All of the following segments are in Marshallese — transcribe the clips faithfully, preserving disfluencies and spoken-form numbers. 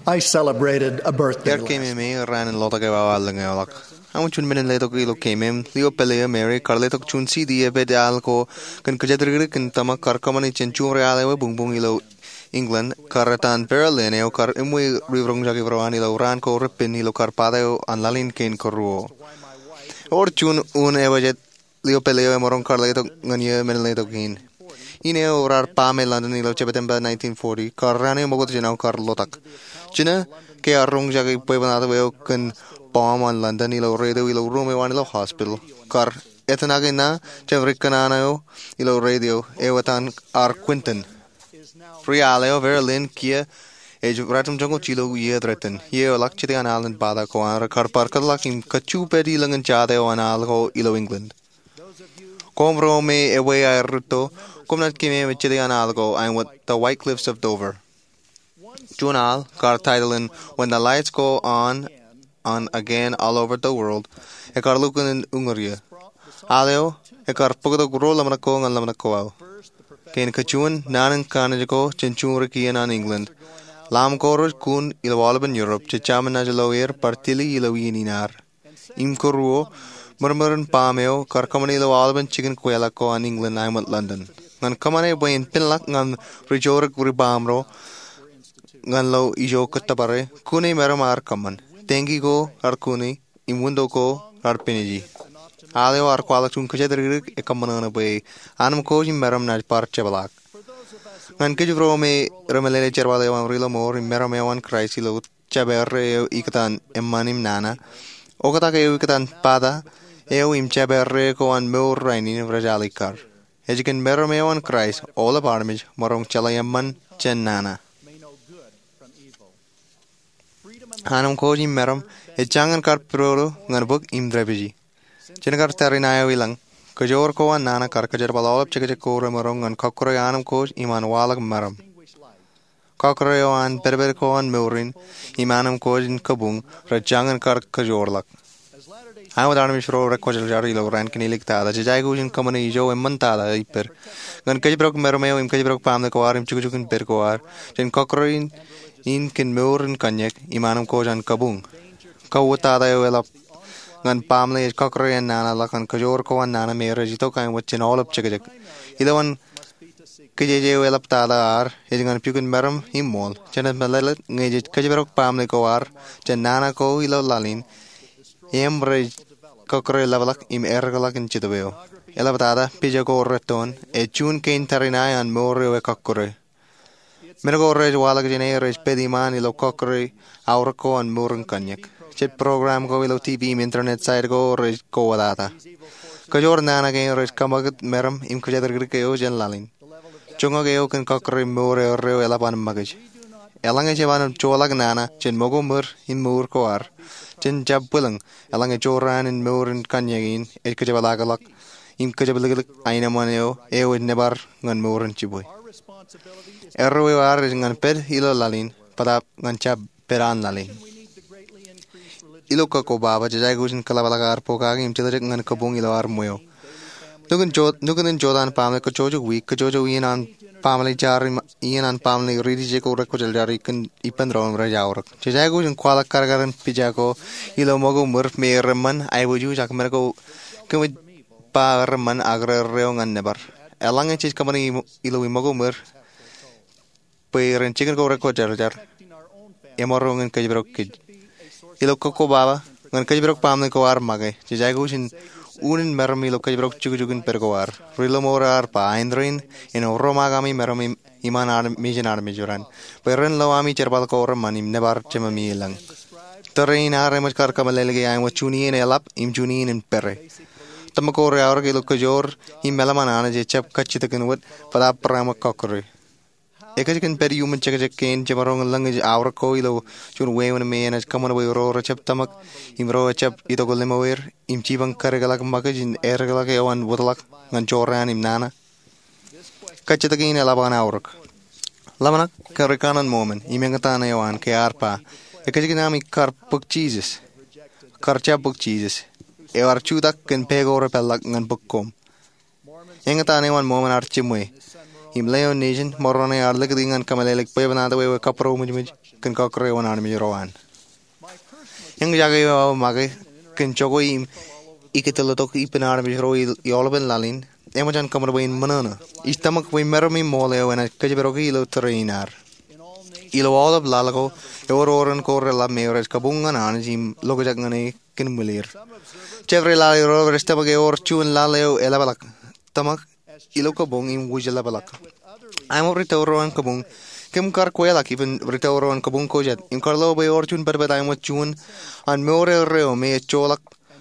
I celebrated a birthday. Iar keememej raan in lotak eo awa lōñ eo ḷọk. Aṃ juon men in letok ilo keememej. Leo pālle eo Mary kar letok juon C D epād al ko kōn kōjatdikdik in tōmak kar kōṃṃani jān juṃṃare al eo ebuñbuñ ilo England, kar etan Vera Lynn eo kar eṃṃan ri roñjake ro an ilo raan ko repen ilo kar pata eo an laḷ in kein kōruo. Ewōr juon un eo ej Leo pālle eo emaroñ kar letok ñan eō men in letok in. In eo raar baaṃe London ilo September nineteen forty, kar raan eo ṃokta jān aō kar lotak. Jino ke ear roñjake bwebwenato eo kōn bọọm an London ilo radio ilo ruuṃ eo an ilo hospital, kar etanake ṇa jān ri kōṇaan eo ilo radio eo etan ar Quentin. Ri al eo Vera Lynn kiiō ej ratimjuonñoul jilu iiō rej tōn. Iiō eo ḷọk, jete an al in pata ko an rekar bar kōtḷọk im kajju pād ilōñin jota eo an al ko ilo England. Koṃ ro me ewe aer rūtto, koṃ naaj keememej jete an al ko, āinwōt The White Cliffs of Dover. Juon al, kar title in When the Lights Go On and Again All Over the World, ekar lukkuun uñūr iiō. Al eo ekar bōktok ruo ḷōmṇak ko ñan ḷōmṇak ko aō. Kein kajuon, naan in kanniōk ko jān juṃṃare kien an England. Ḷaṃ ko rej kun ilo aolepen Europe, jejāmin naaj lo er bar tili ilo iien in ad. Im kōruo, ṃōrṃōr in baaṃ eo kar kōṃṃane ilo aolepen jikin kweilọk ko an England āinwōt London. Ñan kōṃṃane bwe en penḷọk ñan ri joorōk ri baaṃ ro ñan lo ijo kōttōpare, kune meram ar kōṃṃan. Tangki ko raar kune, im winto ko raar peneje. Al eo ar kwaḷọk juon kōjatdikdik ekkōṃṃan bwe anemkwōj im meram naaj bar jepḷaak. Ñan kōj ro me remeḷeḷe jerbal eo an ri ḷōṃor im meram eo an Kraist ilo jab erreo ikōtaan eṃṃan im nana, oktak eo ikōtaan pata eo im jab erreo ko an mour rainin rej alikkar. Ej kōn meram eo an Kraist aolep armej maroñ jeḷā eṃṃan jān nana. Anemkwōj im meram ej jañin kar pidodo ñan bōk im dāpiji. Jān kar tariṇae eo ilañ, kōjoor ko an nana kar kōjerbal aolep jekjek ko remaroñ ñan kọkkure anemkwōj im an waḷọk meram. Kọkkure eo an pedped ko an mour in im anemkwōj in kabuñ rej jañin kar kōjoorḷọk. Āinwōt armej ro rekwōjarjar ilo raan kinilik tata, jej aikuj in kōṃṃane ijo eṃṃan tata ippād. Ñan kōjparok meram eo im kōjparok baaṃle ko ad im jukjuk in pād ko ad jān kọkkure in kōn mour in kōnñak im anemkwōj an kabuñ. Kauwōt tata eo eḷap ñan baaṃle ej kọkkure an nana ḷọk ñan kōjoor ko an nana me rej itok āinwōt jān aolep jekjek. Ilo an kōjeje eo eḷap tata ad ej ñan pukot meram im ṃool. Jenaaj meḷeḷe ñe jej kōjparok baaṃle ko ad jān nana ko ilo laḷ in, im rej kọkkure ḷapḷọk im errikḷọk in Jetōb eo. Eḷap tata, pija ko rettoon, ej juon kein tariṇae an mour eo ekọkkure. Men ko rej waḷọk jāne rej pād iṃaan ilo kọkkure aorōk ko an mour in kōnñak. Jet program ko ilo TV im internet site ko rej kowōtata. Kōjoor nana kein rej kōṃakūt meram im kōjatdikdik eo jān laḷ in. Joñak eo kōn kọkkure mour erreo eḷap an ṃakūtkūt. Eḷaññe jeban joḷọk nana jān ṃōko ṃōr in mour ko ad, jen jab bwilōñ, eḷaññe jorrāān in mour in kōnñak in ej kōjepḷaakḷọk im kōjepliklik aenōṃṃan eo, eo ej nōbar ñan mour in jibwe. Erreo eo ad ej ñan pād ilo laḷ in, bōtaab ñan jab pād an laḷ in. Ilo kōkkobaba, jej aikuj in kōḷapḷọk ad pokake im tiljek ñan kabuñ ilo ad ṃweo. Nukun jo-, nukun in jota an baaṃle, kōjjojo wiik, kōjjojo iien an baaṃle jar im iien an baaṃle ri-tije ko rekwōjarjar ippān doon rej aorōk. Jej aikuj in kwaḷọk kadkadin pija ko ilo ṃōko ṃōr me reṃṃan aiboojoj ak men ko kōmij ba reṃṃan ak re erreo ñan nōbar. Eḷaññe jej kōṃṃane ilo iṃōko ṃōr bwe ren jikin ko rekwōjarjar, emaroñ in kōjparok kōj. Ilo kōkkobaba, ñan kōjparok baaṃle ko ad make, jej aikuj in unin meram ilo kōjparok jukjuk in pād ko ad. Ri ḷōṃor ear ba, Aendein, en romaak ami meram im, iṃaan ad, mejān armej raṇ, bwe ren lo ami jerbal ko reṃṃan im nōbar Jemāmi ilañ. Tōre in ad eṃōj kar kōmeḷeḷeik āinwōt juon iien eḷap im juon iien in pere. Tōmak ko reaorōk ilo kōjoor im meḷeṃan Anij ejjab kajjitōkin wōt, bōtaab barāinwōt kọkkure. Ekōjkan pād iuṃwin jekjek kein jemaroñ in lōñ ej aorōk ko ilo juon wāween me enaaj kōṃṃan bwe ro rejjab tōmak im ro ejjab itok limoer im jipañ kōdikḷọk ṃakūtkūt im errikḷọk eo an wōtlọk ñan jorrāān im nana? Kajjitōk in eḷap an aorōk. Ḷōmṇak kōn rikaṇan Mōmon im eñtaan eo an ke ear ba, ekōjkan ami kar bōk Jisōs, kar jab bōk Jisōs, eo ear jutak kōn pā ko repeḷḷọk ñan bōk koṃ. Eñtaan eo an Mōmon ear jiṃwe. im leo nejin ṃōrōṇe ar likūti ñan kōmeḷeḷeik bwebwenato eo ekabūroṃōjṃōj kōn kọkkure eo an armej ro an. Eñjake eo aō make kōn jokwe im ikōtḷọk ippān armej ro ilo aolepen laḷ in eṃōj an kōṃṃan bwe in ṃōṇōṇō. Ij tōmak bwe meram im ṃool eo enaaj kōjparoki ilo tōre in ad. Ilo aolep laḷ ko ewōr oran ko reḷap me rej kabuñ ñan Anij im lokjak ñan e kōn ṃwilir. Jabdewōt laḷ ro rej tōmak ewōr juon laḷ eo eḷapḷọk, tōmak ilo kabuñ im wūjlepḷọk. Āinwōt ri tōre ro an kabuñ, kōm kar kweḷọk ippān ri tōre ro an kabuñ ko jet im kar lo bwe ewōr juon pedped āinwōt juon an mour erreo me ejjeḷọk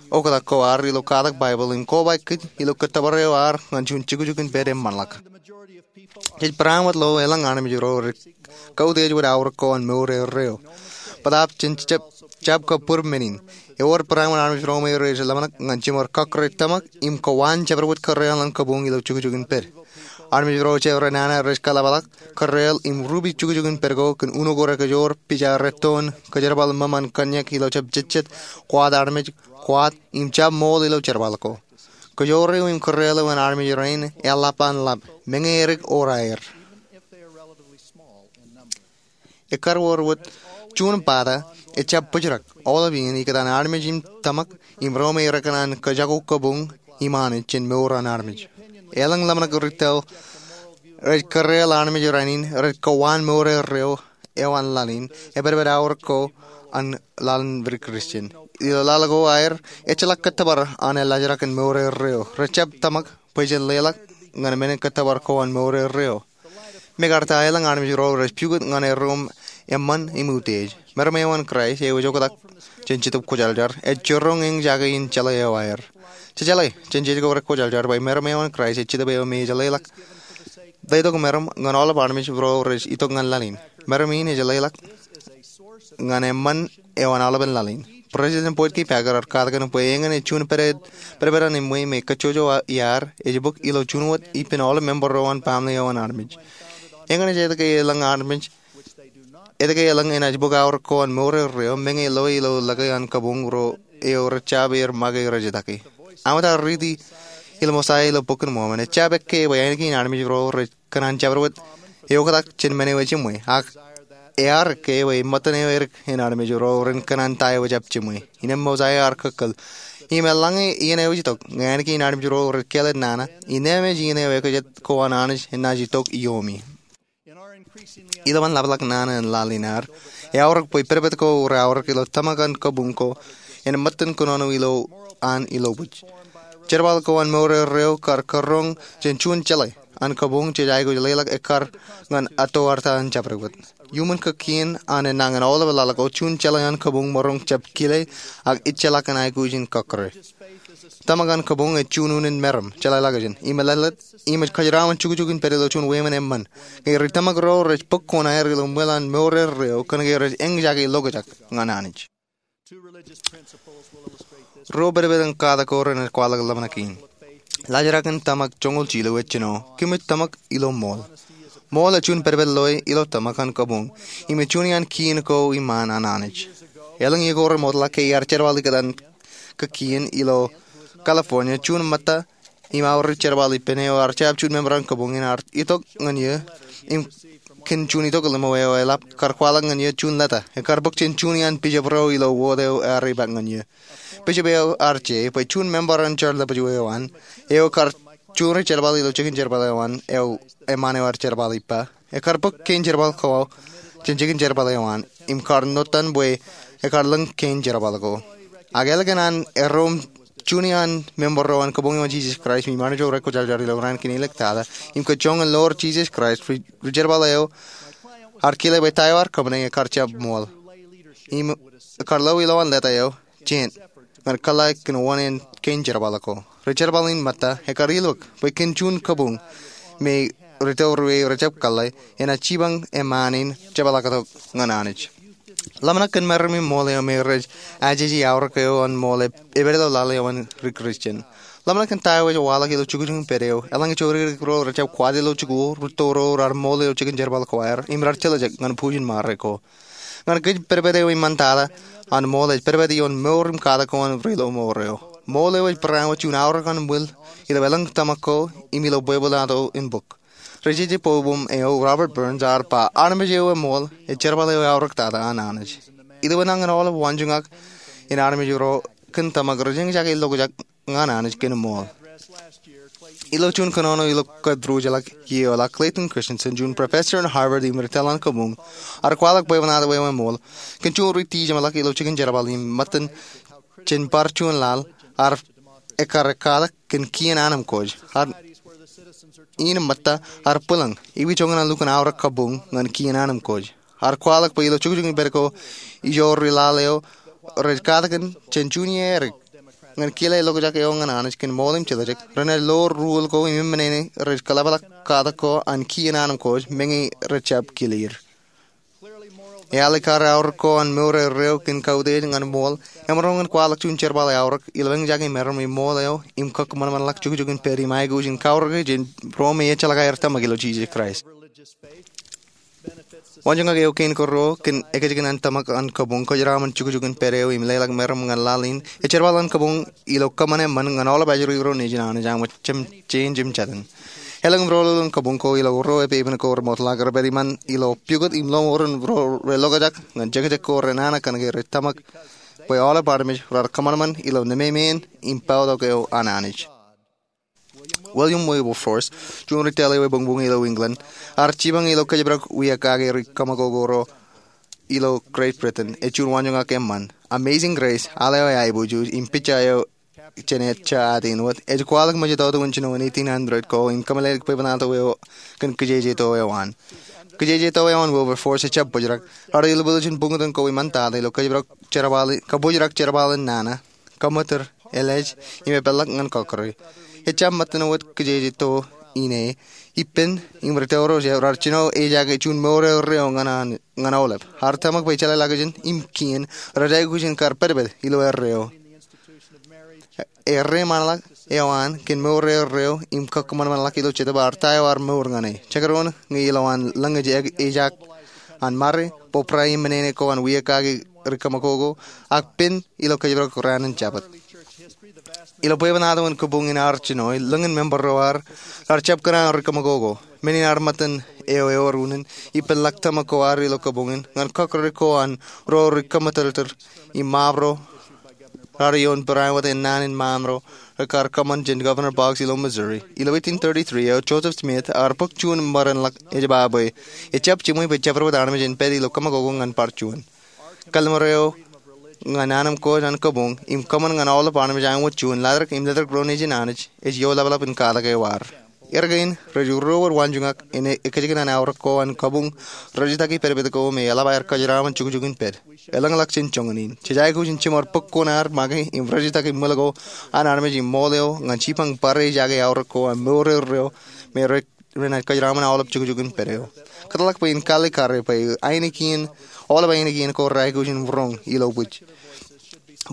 oktak ko ad ilo katak Baibōḷ im kobaik kōj ilo kōttōpar eo ad ñan juon jukjuk in pād eṃṃanḷọk. Jej barāinwōt lo elōñ armej ro rej kautiej wōt aorōk ko an mour erreo. Bōtaab jen jab kab bōd men in. Ewōr barāinwōt armej ro me rej ḷōmṇak ñan jiṃor kọkkure tōmak im kowaan jabdewōt kōrreoḷ an kabuñ ilo jukjuk in pād. Armej ro jabdewōt nana rej kaḷapḷọk kōrreoḷ im rupi jukjuk in pād ko kōn uno ko rekajoor, pija rettoon, kajerbal ṃōṃ an kōnnyak ilo jab jejjet, kwaat armej, kwaat im jab ṃool ilo jerbal ko. Kajoor eo im kōrreoḷ eo an armej rainin eḷap an ḷap, meñe edik or aer. Ekkar wōr wōt juon bōtab ejab bōjrak aolep iien ikōtaan armej im tōmak im ro me rekōṇaan kajako kabuñ im Anij jān mour an armej. Elōñ ḷōmṇak ri tōre rej kōrreoḷ armej rainin rej kowaan mour erreo eo an laḷ in, epedped aorōk ko an laḷ in ri Kristian. Ilo laḷ ko aer ejjeḷọk kōttōpar an elaajrak in mour erreo. Rejab tōmak bwe jen leḷọk ñan men in kōttōpar ko an mour erreo. Mekarta elōñ armej ro rej pukot ñan erro eṃṃan im utiej. Meram eo an Kraist eo ej oktak jān Jetōb Kwōjarjar ej jiroñ eñjake in jeḷā eo aer. Jejeḷā jān jej ko rekwōjarjar bwe meram eo an Kraist ej Jetōb eo me ej leḷọk letok meram ñan aolep armej ro rej itok ñan laḷ in. Meram in ej leḷọk ñan eṃṃan eo an aolepen laḷ in. President Boyd K. Packer ear katakin bwe eñin ej juon pedped an eṃṃan me kajjojo iaad ej bōk ilo juon wōt ippān aolep member ro an baaṃle eo an armej. Eñin ej etke elōñ armej etke elōñ enaaj bōk aorōk ko an mour erreo meñe loe ilo lōke an kabuñ ro eo rejjab er make rejitōk e. Aṃ etaar riiti ilo Mosaia ilo Bok in Mormon, ejjab ekkā bwe āniki in armej ro rej kōṇaan jabdewōt eoktak jān men eo ejiṃwe, ak ear ekkā bwe ṃōttan eo edik in armej ro ren kōṇaan ta eo ejjab jiṃwe. Innām Mosaia ear kōkkōl, im eḷaññe iien eo ej itok, ñe āniki in armej ro rej kāālōt nana, innām ej iien eo ekajet ko an Anij enaaj itok iomi. Ilowaan ḷapḷọk nana in laḷ in ad, eaorōk bwe pedped ko reaorōk ilo tōmak an kabuñ ko en ṃōttan kōnono ilo an ilobōj. Jerbal ko an mour erreo kar kōrroñ jān juon jeḷā an kabuñ jej aikuj leḷọk ekkar ñan atoarta an jabdewōt. Iuṃwin kakkien an enañin aolep laḷ ko, juon jeḷā an kabuñ maroñ jab kile ak ejjeḷọk in aikuj in kọkkure. Tōmak an kabuñ ej juon unin meram, jeḷāḷọkjeṇ, im eḷap im ej kōjeraṃṃan jukjuk in pād ilo juon wāween eṃṃan. Ñe ri tōmak ro rej bōk kuṇaer ilo ṃwilaḷ an mour erreo kōnke rej eñjake lokjak ñan Anij. Ruo pedped in katak ko renaaj kwaḷọk ḷōmṇak in. Laajrak in tōmak joñoul jilu ej jino, kōmij tōmak ilo ṃool. Ṃool ej juon pedped loe ilo tōmak an kabuñ, im ej juon iaan kien ko iṃaan an Anij. Elōñ iiō ko remootḷọk ke iar jerbal ikōtaan kakkien ilo California, juon ṃōtta im aorōk jerbal ippān eo ear jab juon member an kabuñ in ear itok ñan eō im kōn juon itok ḷimo eo eḷap kar kwaḷọk ñan eō juon leta. Ekar bōk jān juon iaan bishop ro ilo wōt eo ear ipaak ñan eō. Bishop eo ear je bwe juon member an jar ḷapḷọk eo an, eo ekar juri jerbal ilo jikin jerbal eo an, eo eṃṃaan eo ear jerbal ippa, ekar bōk kein jerbal ko jān jikin jerbal eo an im kar notan bwe ekar lōñ kein jerbal ko. Ak ālikin an erro im juon iaan member ro an kabuñ eo an Jesus Christ im armej ro rekwōjarjar ilo raan kein āliktata im kōj joñan ḷoor Jesus Christ, ri jerbal eo ear kile bwe ta eo ear kōṃṃane ekar jab ṃool. Im ekar lo ilowaan leta eo jān ñan kōḷḷā kōn wōṇāān kein jerbal ko. Ri jerbal in ṃōtta ekar ilọk bwe kōn juon kabuñ me ri tōre eo rejjab kōḷḷā enaaj jipañ eṃṃaan in jepḷaaktok ñan Anij. Ḷōmṇak kōn meram im ṃool eo me rej ajeje aorōk eo an ṃool epād ilo laḷ eo an ri Kristian. Ḷōmṇak kōn ta eo ej waḷọk ilo jukjuk in pād eo. Eḷaññe jodikdik ro rejjab kwaat ilo jikuuḷ, rūtto ro raar ṃool ilo jikin jerbal ko aer im raar tiljek ñan bujen ṃare ko. Ñan kōj, pedped eo iṃaan tata an ṃool ej pedped ioon mour im katak ko an ri lo mour eo. Ṃool eo ej barāinwōt juon aorōk an ṃwil ilo elōñ tōmak ko im ilo bwebwenato in bōk. Ri-jeje bwebweṃ eo Robert Burns ear ba, armej eo eṃool ej jerbal eo eaorōktata an Anij. Ilo enañin aolep waanjoñak in armej ro kōn tōmak rej eñjake lokjak ñan Anij kōn ṃool. Ilo juon kōnono ilo kōtrujeḷọk iiō ḷọk, Clayton Christensen, juon professor in Harvard im ri tōl an kabuñ, ear kwaḷọk bwebwenato eo eṃool kōn juon ri-tijeṃḷọk ilo jikin jerbal im ṃōttan jān bar juon laḷ ear ekkar ekkatak kōn kien anemkwōj. Ear in ṃōtta ear bwilōñ, ewi joñan an lukkuun aorōk kabuñ ñan kien anemkwōj. Ear kwaḷọk bwe ilo jukjuk in pād ko ijo ri laḷ eo rej katakin jān juon iiō edik ñan kile lokjak eo ñan Anij kōn ṃool im jetōjak, renaaj lo ruōl ko im eṃṃan ṇe rej kōḷapḷọk katak ko an kien anemkwōj meñe rej jab kile er. Eale kar aorōk ko an mour erreo kōn kautiej ñan ṃool, emaroñ in kwaḷọk juon jerbal eaorōk ilo eñjake meram im ṃool eo im kōkōṃanṃanḷọk jukjuk in pād im aikuj in kaorōke jān ro me ejjeḷọk aer tōmak ilo Jisōs Kraist. Waanjoñak eo kein kōrro kōn ekajjikōn an tōmak an kabuñ, kōjeraṃṃan jukjuk in pād eo im leḷọk meram ñan laḷ in, ej jerbal an kabuñ ilo kōṃṃan eṃṃan ñan aolep ajri ro nejin Anij, aṃ jemjein jemjein. Elōñ im rōḷoḷ in kabuñ ko ilo ro epepen ko remootḷọk, rej pād iṃaan ilo pukot im lọmọọr in ro relokjak ñan jekjek ko renana kōnke rej tōmak bwe aolep armej raar kōṃanṃan ilo nememeen im pautok eo an Anij. William Wilberforce, juon ri tōl eo ebuñbuñ ilo England, ear jipañ ilo kōjparok wia kake ri kōṃakoko ro ilo Great Britain. Ej juon waanjoñak eṃṃan. Amazing Grace, al eo eaiboojoj im picture eo jān ejja atein wōt, ej kwaḷọk ṃōjtata in jinoin eighteen hundred ko im kōmeḷeḷeik bwebwenato eo kōn kijejeto eo an. Kijejeto eo an Wilberforce ejab bōjrak. Raar ilbōl jān buñtōn ko iṃaan tata ilo kōjparok jerbal, kabōjrak jerbal in nana, kōṃṃootōr, elej, im epeḷḷọk ñan kọkkure. Ejab ṃōttan wōt kijejeto in e, ippān im ri tōre ro raar jino ejaake juon mour erreo ñan an ñan aolep. Ear tōmak bwe jeḷāḷọkjeṇ im kien rej aikuj in kar pedped ilo erreo. Erreṃanḷọk eo an kōn mour erreo im kōkōṃanṃanḷọk ilo Jetōb ear ta eo ear mour ñan e. Jekdọọn ñe ilowaan lōñ ej ejak an mare, bōbrae im menene ko an wia kake ri kōṃakoko, ak pen ilo kōjparok raan in Jabōt. Ilo bwebwenato in kabuñ in ear jino, lōñin member ro raar jab kōṇaan ri kōṃakoko. Men in ear ṃōttan eo ewōr unin, ippān ḷak tōmak ko ad ilo kabuñ in ñan kọkkure ko an ro ri kōṃṃootōrtōr im ṃaap ro raar ioon Barāinwōt ennaan in ṃaam ro rekar kōṃṃan jān Governor Boggs ilo Missouri. Ilo eighteen thirty-three eo, Joseph Smith ear bōk juon ṃōran ḷọk ej ba bwe ejab jiṃwe bwe jabdewōt armej en pād ilo kōṃakoko ñan bar juon. Kallim̧ur eo ñan anemkwōj an kabuñ im kōṃṃan ñan aolep armej āinwōt juon, laḷtak im letok ro nejin Anij, ej ioḷapḷọk in katak eo ad. Erkein, rej ruo wōt waanjoñak in ekajjikōn an aorōk ko an kabuñ, rejjitōk pedped ko me eḷap aer kōjeraṃṃan jukjuk in pād. Elōñḷọk jān joñan in. Jej aikuj in jiṃor bōk kuṇaad make im rejjitōk ṃwil ko an armej im ṃool eo ñan jipañ bar ejaake aorōk ko an mour erreo me rej renaaj kōjeraṃṃan aolep jukjuk in pād eo. Kōtḷọk bwe in kallekare bwe ainikien, aolep ainikien ko reaikuj in roñ ilo bwij.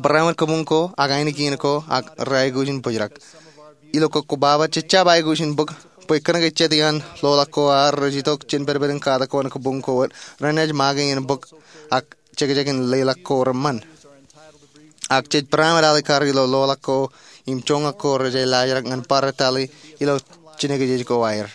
Barāinwōt kabuñ ko ak ainikien ko ak reaikuj in bōjrak. Ilo kōkkobaba, jejjab aikuj in bōk bwe kōnke jet iaan loḷọk ko ad rej itok jān pedped in katak ko an kabuñ ko wōt, renaaj make in bōk ak jekjek in leḷọk ko reṃṃan. Ak jej barāinwōt alikkar ilo loḷọk ko im joñak ko rej laajrak ñan bar tali ilo jinōkjeej ko aer.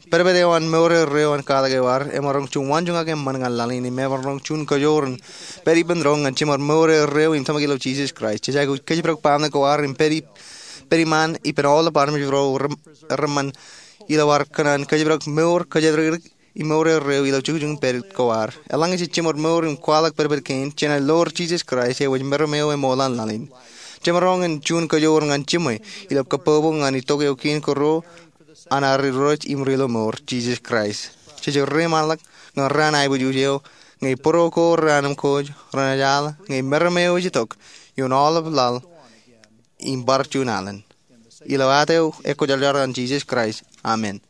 Pedped eo an mour erreo an katak eo ad emaroñ juon waanjoñak eṃṃan ñan laḷ in im emaroñ juon kajoor in pād ippān doon ñan jiṃor mour erreo im tōmak ilo Jisōs Kraist. Jej aikuj kōjparok baaṃle ko ad im pād ippān iṃaan ippān aolep armej ro reṃṃan ilo ad kōṇaan kōjparok mour kōjatdikdik im mour erreo ilo jukjuk in pād ko ad. Eḷaññe jej jiṃor mour im kwaḷọk pedped kein, jenaaj lowōr Jisōs Kraist eo ej meram eo eṃool an laḷ in. Jemaroñ in juon kajoor ñan jiṃwe ilo kabbokbok ñan itok eo kein kōrro an ad Irooj im Ri-lomour, Jisōs Kraist. Jej reṃaanḷọk ñan raan aiboojoj eo ñe bōro ko reanemkwōj renaaj al ñe meram eo ej itok ioon aolep laḷ im bar juon alen. Ilo ad eo ekwōjarjar an Jisōs Kraist, amen.